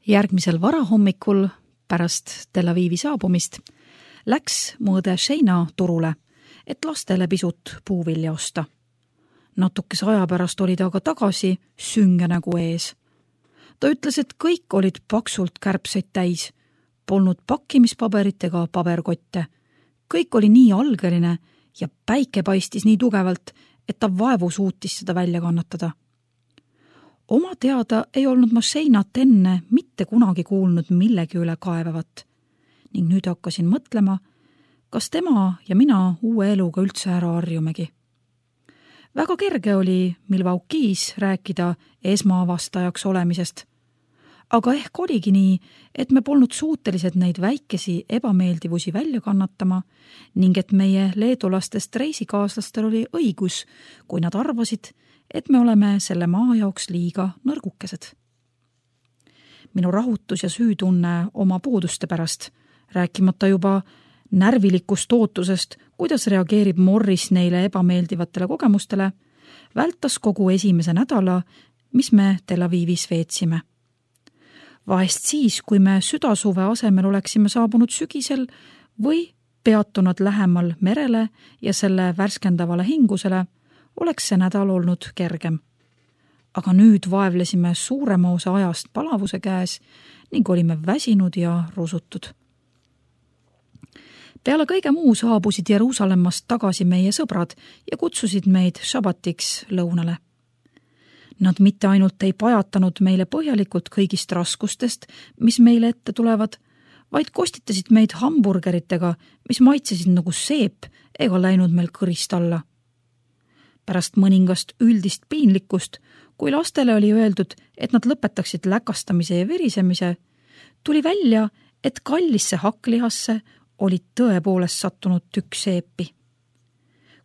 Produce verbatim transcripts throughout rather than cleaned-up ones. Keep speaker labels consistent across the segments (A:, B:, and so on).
A: Järgmisel varahommikul pärast Tel Avivi saabumist läks mu õde Sheina turule, et lastele pisut puuvilja osta. Natukese aja pärast oli ta aga tagasi sünge nägu ees. Ta ütles, et kõik olid paksult kärbseid täis, polnud pakkimispaberit ega paberkotte. Kõik oli nii algeline ja päike paistis nii tugevalt, et ta vaevu suutis seda välja kannatada. Oma teada ei olnud ma Sheinat enne mitte kunagi kuulnud millegi üle kaevavat ning nüüd hakkasin mõtlema, kas tema ja mina uue eluga üldse ära harjumegi. Väga kerge oli Milwaukee's rääkida esmaavastajaks olemisest, aga ehk oligi nii, et me polnud suutelised neid väikesi ebameeldivusi välja kannatama ning et meie leedulastest reisikaaslastel oli õigus, kui nad arvasid, et me oleme selle maa jaoks liiga nõrgukesed. Minu rahutus ja süütunne oma puuduste pärast, rääkimata juba närvilikust ootusest, kuidas reageerib Morris neile ebameeldivatele kogemustele, vältas kogu esimese nädala, mis me Tel Avivis veetsime. Vahest siis, kui me südasuve asemel oleksime saabunud sügisel või peatunud lähemal merele ja selle värskendavale hingusele, oleks see nädal olnud kergem. Aga nüüd vaevlesime suurema osa ajast palavuse käes ning olime väsinud ja rusutud. Peale kõige muu saabusid Jeruusalemmast tagasi meie sõbrad ja kutsusid meid šabatiks lõunale. Nad mitte ainult ei pajatanud meile põhjalikult kõigist raskustest, mis meile ette tulevad, vaid kostitasid meid hamburgeritega, mis maitsesid nagu seep ega läinud meil kõrist alla. Pärast mõningast üldist piinlikkust, kui lastele oli öeldud, et nad lõpetaksid läkastamise ja virisemise, tuli välja, et kallisse hakklihasse olid tõepoolest sattunud tükk seepi.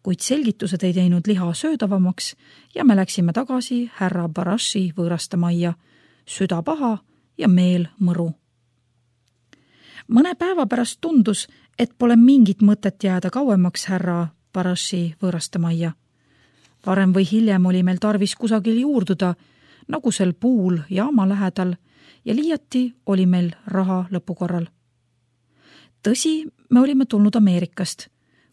A: Kuid selgitused ei teinud liha söödavamaks ja me läksime tagasi härra Barashi võõrastamajja, süda paha ja meel mõru. Mõne päeva pärast tundus, et pole mingit mõtet jääda kauemaks härra Barashi võõrastamajja. Varem või hiljem oli meil tarvis kusagil juurduda, nagu sel puul jaama lähedal, ja liiati oli meil raha lõpukorral. Tõsi, me olime tulnud Ameerikast,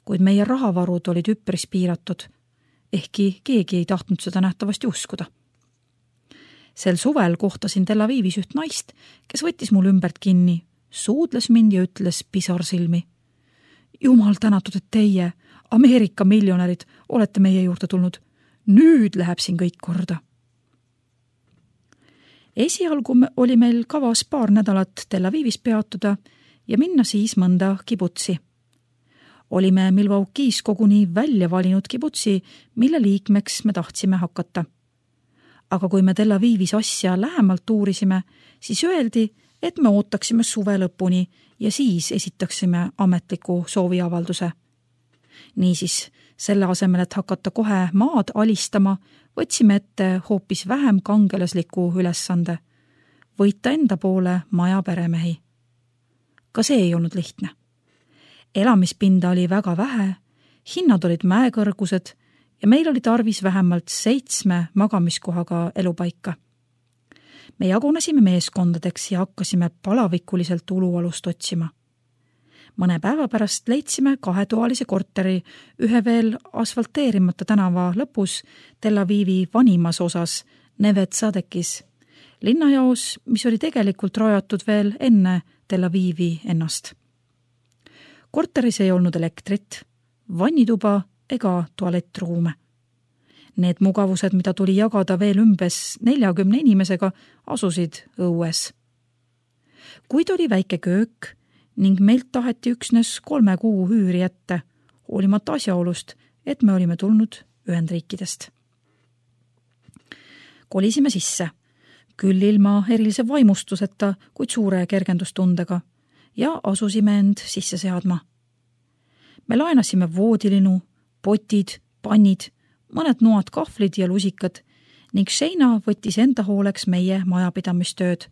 A: kuid meie rahavarud olid üpris piiratud, ehkki keegi ei tahtnud seda nähtavasti uskuda. Sel suvel kohtasin Tel Avivis üht naist, kes võttis mul ümbert kinni, suudles mind ja ütles pisarsilmi. Jumal tänatud, et teie, Ameerika miljonärid, olete meie juurde tulnud. Nüüd läheb siin kõik korda. Esialgu oli meil kavas paar nädalat Tel Avivis peatuda ja minna siis mõnda kibutsi. Olime Milwaukee's koguni välja valinud kibutsi, mille liikmeks me tahtsime hakata. Aga kui me Tel Avivis asja lähemalt uurisime, siis öeldi, et me ootaksime suve lõpuni ja siis esitaksime ametliku sooviavalduse. Niisiis, selle asemel, et hakata kohe maad alistama, võtsime ette hoopis vähem kangelasliku ülesande, võita enda poole maja peremehi. Ka see ei olnud lihtne. Elamispinda oli väga vähe, hinnad olid mäekõrgused ja meil oli tarvis vähemalt seitsme magamiskohaga elupaika. Me jagunesime meeskondadeks ja hakkasime palavikuliselt ulualust otsima. Mõne päeva pärast leidsime kahetoalise korteri ühe veel asfalteerimata tänava lõpus Tel Avivi vanimas osas Neve Tzadekis, linnajaos, mis oli tegelikult rajatud veel enne Tel Avivi ennast. Korteris ei olnud elektrit, vannituba ega tualettruume. Need mugavused, mida tuli jagada veel umbes neljakümne inimesega, asusid õues. Kuid oli väike köök ning meilt taheti üksnes kolme kuu hüüri ette, hoolimata asjaolust, et me olime tulnud Ühendriikidest. Kolisime sisse, küll ilma erilise vaimustuseta, kuid suure kergendustundega, ja asusime end sisse seadma. Me laenasime voodilinu, potid, pannid, mõned noad kahvlid ja lusikad ning Sheina võttis enda hooleks meie majapidamistööd,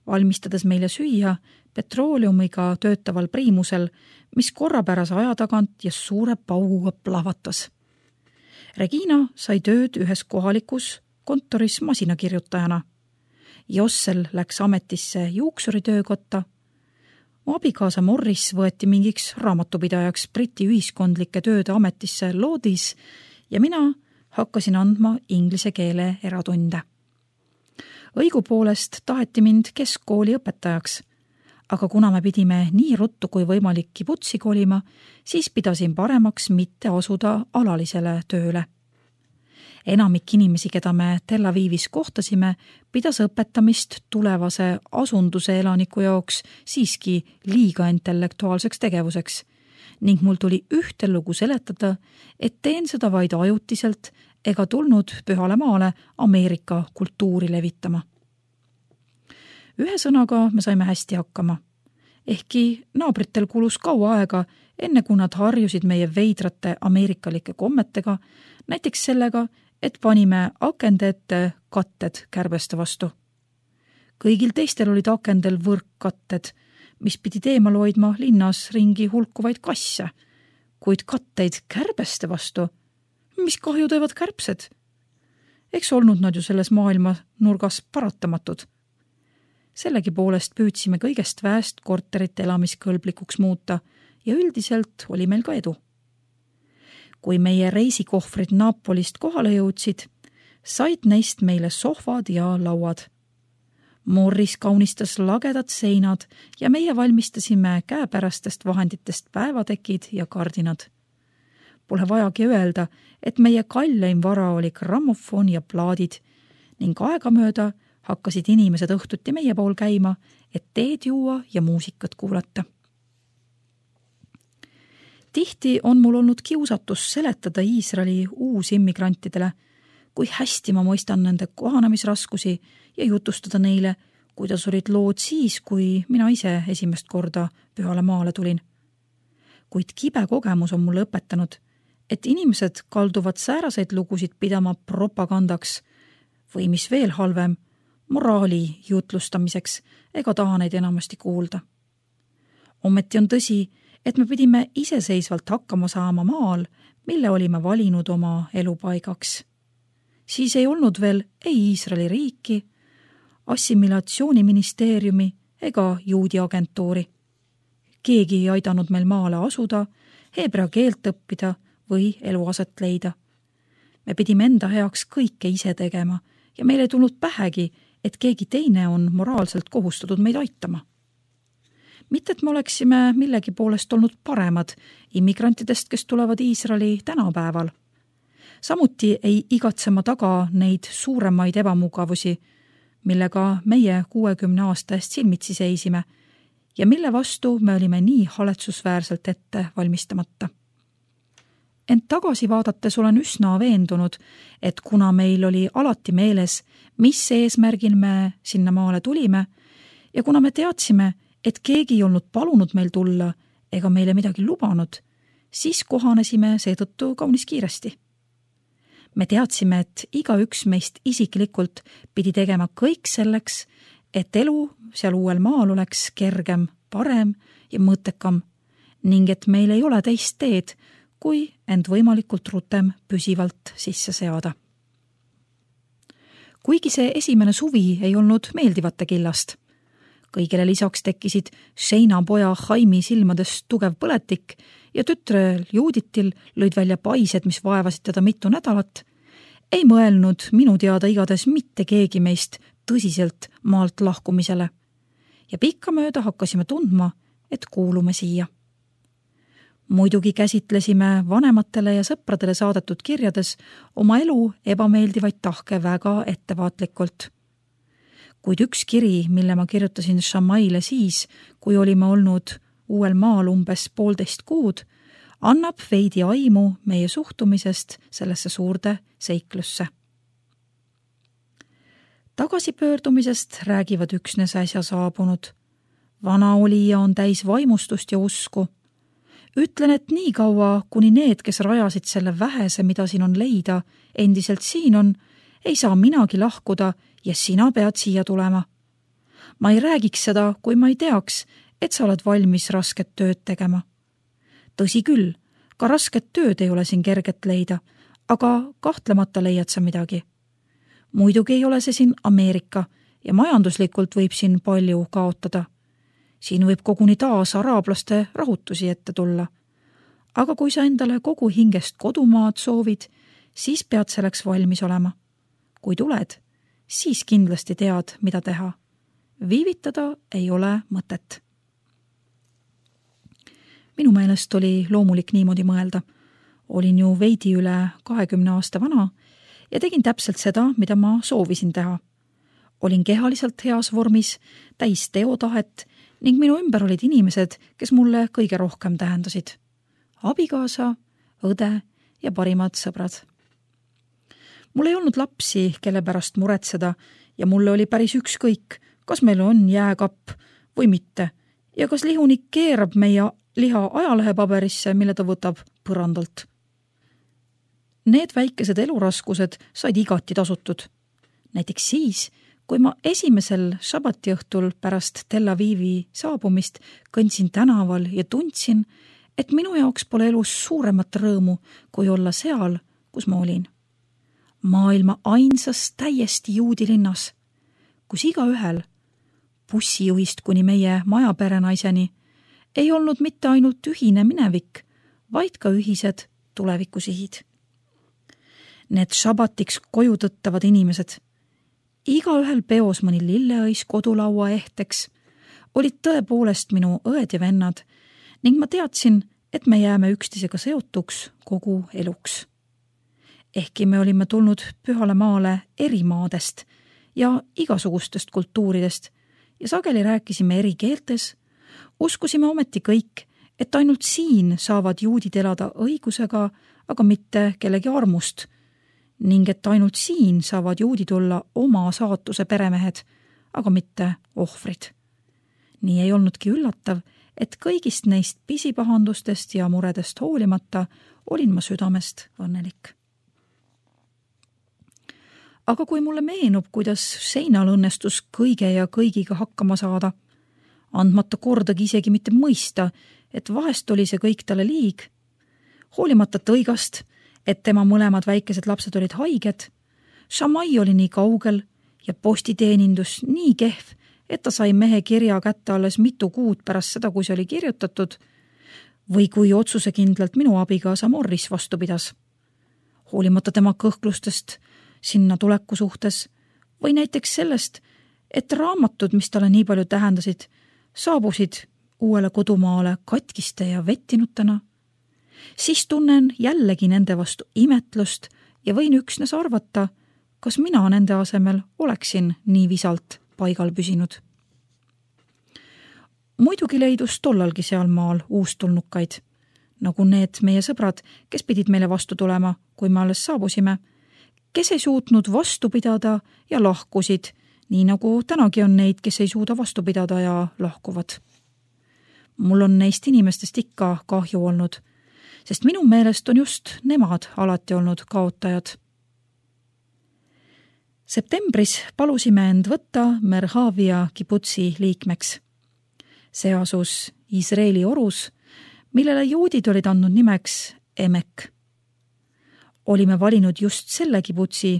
A: valmistades meile süüa petrooleumiga töötaval priimusel, mis korrapärase aja tagant ja suure pauguga plahvatas. Regina sai tööd ühes kohalikus kontoris masinakirjutajana Jossel läks ametisse juuksuri töökotta. Mu abikaasa Morris võeti mingiks raamatupidajaks Briti ühiskondlike tööde ametisse Loodis ja mina hakkasin andma inglise keele eratunde. Õigupoolest taheti mind keskkooli õpetajaks, aga kuna me pidime nii ruttu kui võimalik kibutsi kolima, siis pidasin paremaks mitte asuda alalisele tööle. Enamik inimesi, keda me Tel Avivis kohtasime, pidas õpetamist tulevase asunduse elaniku jaoks siiski liiga intellektuaalseks tegevuseks ning mul tuli ühte lugu seletada, et teen seda vaid ajutiselt ega tulnud Pühale maale Ameerika kultuuri levitama. Ühe sõnaga me saime hästi hakkama. Ehkki naabritel kulus kaua aega, enne kui nad harjusid meie veidrate ameerikalike kommetega, näiteks sellega, et panime akende ette katted kärbeste vastu. Kõigil teistel olid akendel võrkkatted, mis pidid eemal hoidma linnas ringi hulkuvaid kasse, kuid katteid kärbeste vastu. Mis kahju teevad kärbsed? Eks olnud nad ju selles maailma nurgas paratamatud. Sellegi poolest püüdsime kõigest väest korterit elamiskõlblikuks muuta ja üldiselt oli meil ka edu. Kui meie reisikohvrid Napolist kohale jõudsid, said neist meile sohvad ja lauad. Morris kaunistas lagedad seinad ja meie valmistasime käepärastest vahenditest päevatekid ja kardinad. Pole vajagi öelda, et meie kalleim vara oli grammofon ja plaadid ning aegamööda hakkasid inimesed õhtuti meie pool käima, et teed juua ja muusikat kuulata. Tihti on mul olnud kiusatus seletada Iisraeli uusimmigrantidele, kui hästi ma mõistan nende kohanemisraskusi ja jutustada neile, kuidas olid lood siis, kui mina ise esimest korda Pühale maale tulin. Kuid kibe kogemus on mulle õpetanud, et inimesed kalduvad sääraseid lugusid pidama propagandaks või mis veel halvem, moraali jutlustamiseks ega taha neid enamasti kuulda. Ometi on tõsi, et me pidime iseseisvalt hakkama saama maal, mille olime valinud oma elupaigaks. Siis ei olnud veel ei Iisraeli riiki, assimilatsiooniministeeriumi ega juudi agentuuri. Keegi ei aidanud meil maale asuda, heebrea keelt õppida või eluaset leida. Me pidime enda heaks kõike ise tegema ja meil ei tulnud pähegi, et keegi teine on moraalselt kohustatud meid aitama. Mitte, et me oleksime millegi poolest olnud paremad immigrantidest, kes tulevad Iisraeli tänapäeval. Samuti ei igatsema taga neid suuremaid ebamugavusi, millega meie kuuekümne aasta eest silmitsi seisime ja mille vastu me olime nii haletsusväärselt ette valmistamata. Ent tagasi vaadates olen üsna veendunud, et kuna meil oli alati meeles, mis eesmärgil me sinna maale tulime ja kuna me teadsime, et keegi ei olnud palunud meil tulla ega meile midagi lubanud, siis kohanesime seetõttu kaunis kiiresti. Me teadsime, et igaüks meist isiklikult pidi tegema kõik selleks, et elu seal uuel maal oleks kergem, parem ja mõttekam ning et meil ei ole teist teed, kui end võimalikult rutem püsivalt sisse seada. Kuigi see esimene suvi ei olnud meeldivate killast, kõigele lisaks tekkisid Sheina poja Haimi silmades tugev põletik ja tütrel Juuditil lõid välja paised, mis vaevasid teda mitu nädalat, ei mõelnud minu teada igades mitte keegi meist tõsiselt maalt lahkumisele ja pikkamööda hakkasime tundma, et kuulume siia. Muidugi käsitlesime vanematele ja sõpradele saadetud kirjades oma elu ebameeldivaid tahke väga ettevaatlikult. Kuid üks kiri, mille ma kirjutasin Shamaile siis, kui olime olnud uuel maal umbes poolteist kuud, annab veidi aimu meie suhtumisest sellesse suurde seiklusse. Tagasipöördumisest räägivad üksnes äsja saabunud. Vana olija on täis vaimustust ja usku. Ütlen, et nii kaua, kuni need, kes rajasid selle vähese, mida siin on leida, endiselt siin on, ei saa minagi lahkuda ja sina pead siia tulema. Ma ei räägiks seda, kui ma ei teaks, et sa oled valmis rasket tööd tegema. Tõsi küll, ka rasket tööd ei ole siin kerget leida, aga kahtlemata leiad sa midagi. Muidugi ei ole see siin Ameerika ja majanduslikult võib siin palju kaotada. Siin võib koguni taas araablaste rahutusi ette tulla. Aga kui sa endale kogu hingest kodumaad soovid, siis pead selleks valmis olema. Kui tuled, siis kindlasti tead, mida teha. Viivitada ei ole mõtet. Minu meelest oli loomulik niimoodi mõelda. Olin ju veidi üle kahekümne aasta vana ja tegin täpselt seda, mida ma soovisin teha. Olin kehaliselt heas vormis, täis teotahet ning minu ümber olid inimesed, kes mulle kõige rohkem tähendasid. Abikaasa, õde ja parimad sõbrad. Mul ei olnud lapsi, kelle pärast muretseda ja mulle oli päris ükskõik, kas meil on jääkapp või mitte ja kas lihunik keerab meie liha ajalehepaberisse, mille ta võtab põrandalt. Need väikesed eluraskused said igati tasutud. Näiteks siis, kui ma esimesel šabati õhtul pärast Tel Avivi saabumist kõndsin tänaval ja tundsin, et minu jaoks pole elus suuremat rõõmu, kui olla seal, kus ma olin. Maailma ainsas täiesti juudi linnas, kus igaühel, bussijuhist kuni meie majaperenaiseni, ei olnud mitte ainult ühine minevik, vaid ka ühised tulevikusihid. Need šabatiks koju tõttavad inimesed, igaühel peos mõni lilleõis kodulaua ehteks, olid tõepoolest minu õed ja vennad ning ma teadsin, et me jääme üksteisega seotuks kogu eluks. Ehkki me olime tulnud Pühale maale eri maadest ja igasugustest kultuuridest ja sageli rääkisime eri keeltes, uskusime ometi kõik, et ainult siin saavad juudid elada õigusega, aga mitte kellegi armust, ning et ainult siin saavad juudid olla oma saatuse peremehed, aga mitte ohvrid. Nii ei olnudki üllatav, et kõigist neist pisipahandustest ja muredest hoolimata olin ma südamest õnnelik. Aga kui mulle meenub, kuidas seinal õnnestus kõige ja kõigiga hakkama saada, andmata kordagi isegi mitte mõista, et vahest oli see kõik talle liig, hoolimata tõigast, et tema mõlemad väikesed lapsed olid haiged, Šamai oli nii kaugel ja postiteenindus nii kehv, et ta sai mehe kirja kätte alles mitu kuud pärast seda, kui see oli kirjutatud, või kui otsusekindlalt minu abigaasa Morris vastu pidas. Hoolimata tema kõhklustest sinna tuleku suhtes või näiteks sellest, et raamatud, mis talle nii palju tähendasid, saabusid uuele kodumaale katkiste ja vettinutena, siis tunnen jällegi nende vastu imetlust ja võin üksnes arvata, kas mina nende asemel oleksin nii visalt paigal püsinud. Muidugi leidus tollalgi seal maal uustulnukaid, nagu need meie sõbrad, kes pidid meile vastu tulema, kui me alles saabusime, kes ei suutnud vastu pidada ja lahkusid, nii nagu tänagi on neid, kes ei suuda vastu pidada ja lahkuvad. Mul on neist inimestest ikka kahju olnud, sest minu meelest on just nemad alati olnud kaotajad. Septembris palusime end võtta Merhavia kibutsi liikmeks. See asus Iisraeli orus, millele juudid olid andnud nimeks Emek. Olime valinud just selle kibutsi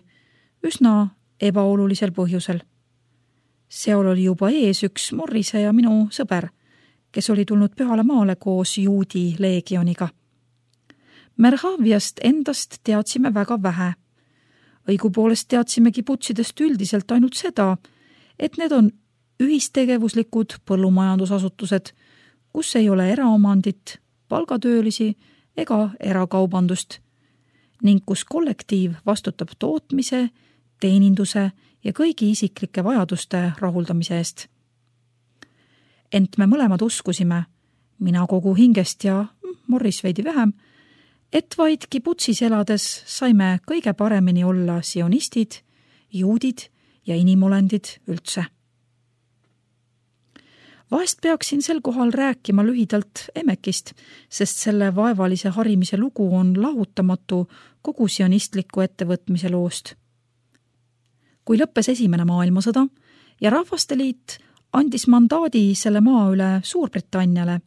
A: üsna ebaolulisel põhjusel. Seal oli juba ees üks Morrise ja minu sõber, kes oli tulnud Pühale maale koos juudi leegioniga. Merhaviast endast teadsime väga vähe. Õigupoolest teadsime kibutsidest üldiselt ainult seda, et need on ühistegevuslikud põllumajandusasutused, kus ei ole eraomandit, palgatöölisi ega erakaubandust, ning kus kollektiiv vastutab tootmise, teeninduse ja kõigi isiklike vajaduste rahuldamise eest. Ent me mõlemad uskusime, mina kogu hingest ja Morris veidi vähem, et vaid kibutsis elades saime kõige paremini olla sionistid, juudid ja inimolendid üldse. Vahest peaksin sel kohal rääkima lühidalt Emekist, sest selle vaevalise harimise lugu on lahutamatu kogu sionistliku ettevõtmise loost. Kui lõppes esimene maailmasõda ja Rahvasteliit andis mandaadi selle maa üle Suurbritanniale,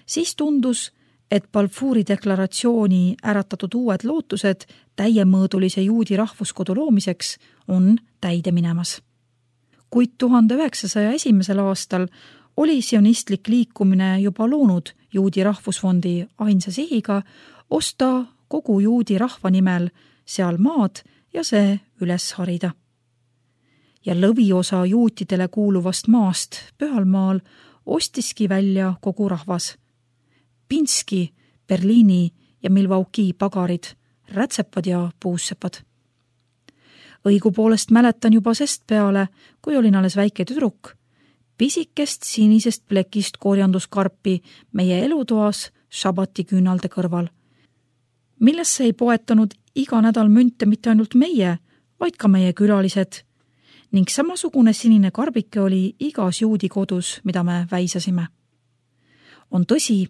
A: siis tundus, et Balfouri deklaratsiooni äratatud uued lootused täiemõõdulise juudi rahvuskodu loomiseks on täide minemas. kuid tuhande üheksasaja esimesel aastal oli sionistlik liikumine juba loonud Juudi rahvusfondi ainsa sihiga osta kogu juudi rahva nimel seal maad ja see üles harida. Ja lõviosa juutidele kuuluvast maast Pühalmaal ostiski välja kogu rahvas. Pinski, Berliini ja Milwaukee pagarid, rätsepad ja puussepad. Õigupoolest mäletan juba sest peale, kui olin alles väike tüdruk, pisikest sinisest plekist korjanduskarpi meie elutoas šabati küünalde kõrval, millesse ei poetanud iga nädal münte mitte ainult meie, vaid ka meie külalised, ning samasugune sinine karbike oli igas juudi kodus, mida me väisasime. On tõsi,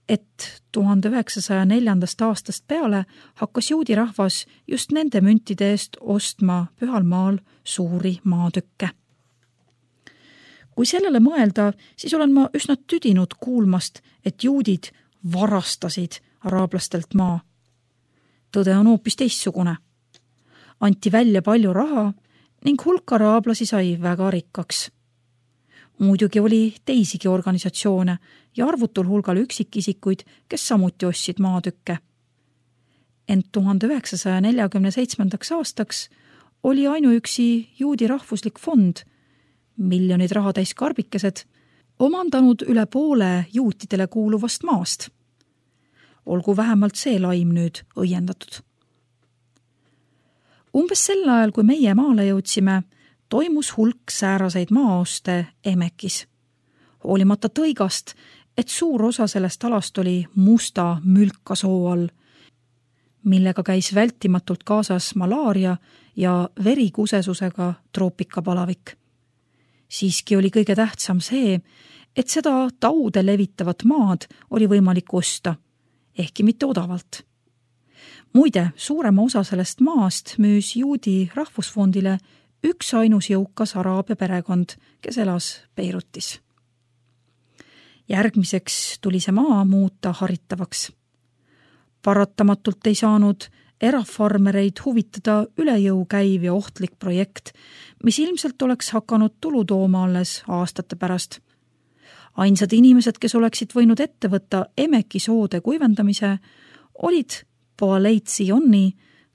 A: et tuhande üheksasaja neljandast aastast peale hakkas juudi rahvas just nende müntide eest ostma Pühalmaal suuri maatükke. Kui sellele mõelda, siis olen ma üsna tüdinud kuulmast, et juudid varastasid araablastelt maa. Tõde on hoopis teistsugune. Anti välja palju raha ning hulk araablasi sai väga rikkaks. Muidugi oli teisigi organisatsioone ja arvutul hulgal üksikisikuid, kes samuti ostsid maatükke. Ent tuhande üheksasaja neljakümne seitsmendaks aastaks oli ainuüksi juudi rahvuslik fond, miljonid rahatäis karbikesed, omandanud üle poole juutidele kuuluvast maast. Olgu vähemalt see laim nüüd õiendatud. Umbes sel ajal, kui meie maale jõudsime, toimus hulk sääraseid maaoste Emekis. Hoolimata tõigast, et suur osa sellest alast oli musta mülka soo all, millega käis vältimatult kaasas malaaria ja verikusesusega troopikapalavik. Siiski oli kõige tähtsam see, et seda taude levitavat maad oli võimalik osta, ehkki mitte odavalt. Muide, suurema osa sellest maast müüs juudi rahvusfondile üks ainus jõukas araabia perekond, kes elas Beirutis. Järgmiseks tuli see maa muuta haritavaks. Paratamatult ei saanud erafarmereid huvitada üle jõu käiv ja ohtlik projekt, mis ilmselt oleks hakanud tulu tooma alles aastate pärast. Ainsad inimesed, kes oleksid võinud ette võtta Emeki soode kuivendamise, olid Poaleit Zionni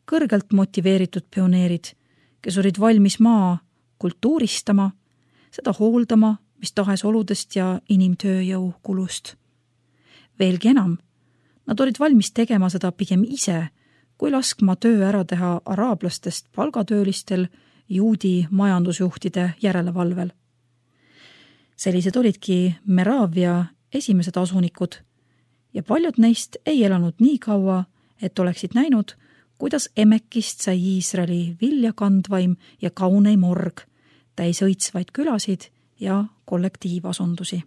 A: kõrgelt motiveeritud pioneerid, kes olid valmis maa kultuuristama, seda hooldama, mis tahes oludest ja inimtööjõu kulust. Veelgi enam, nad olid valmis tegema seda pigem ise, kui laskma töö ära teha araablastest palgatöölistel juudi majandusjuhtide järelevalvel. Sellised olidki Meravia esimesed asunikud ja paljud neist ei elanud nii kaua, et oleksid näinud, kuidas Emekist sai Iisraeli viljakandvaim ja kauneim org, täis õitsvaid külasid ja kollektiivasundusi.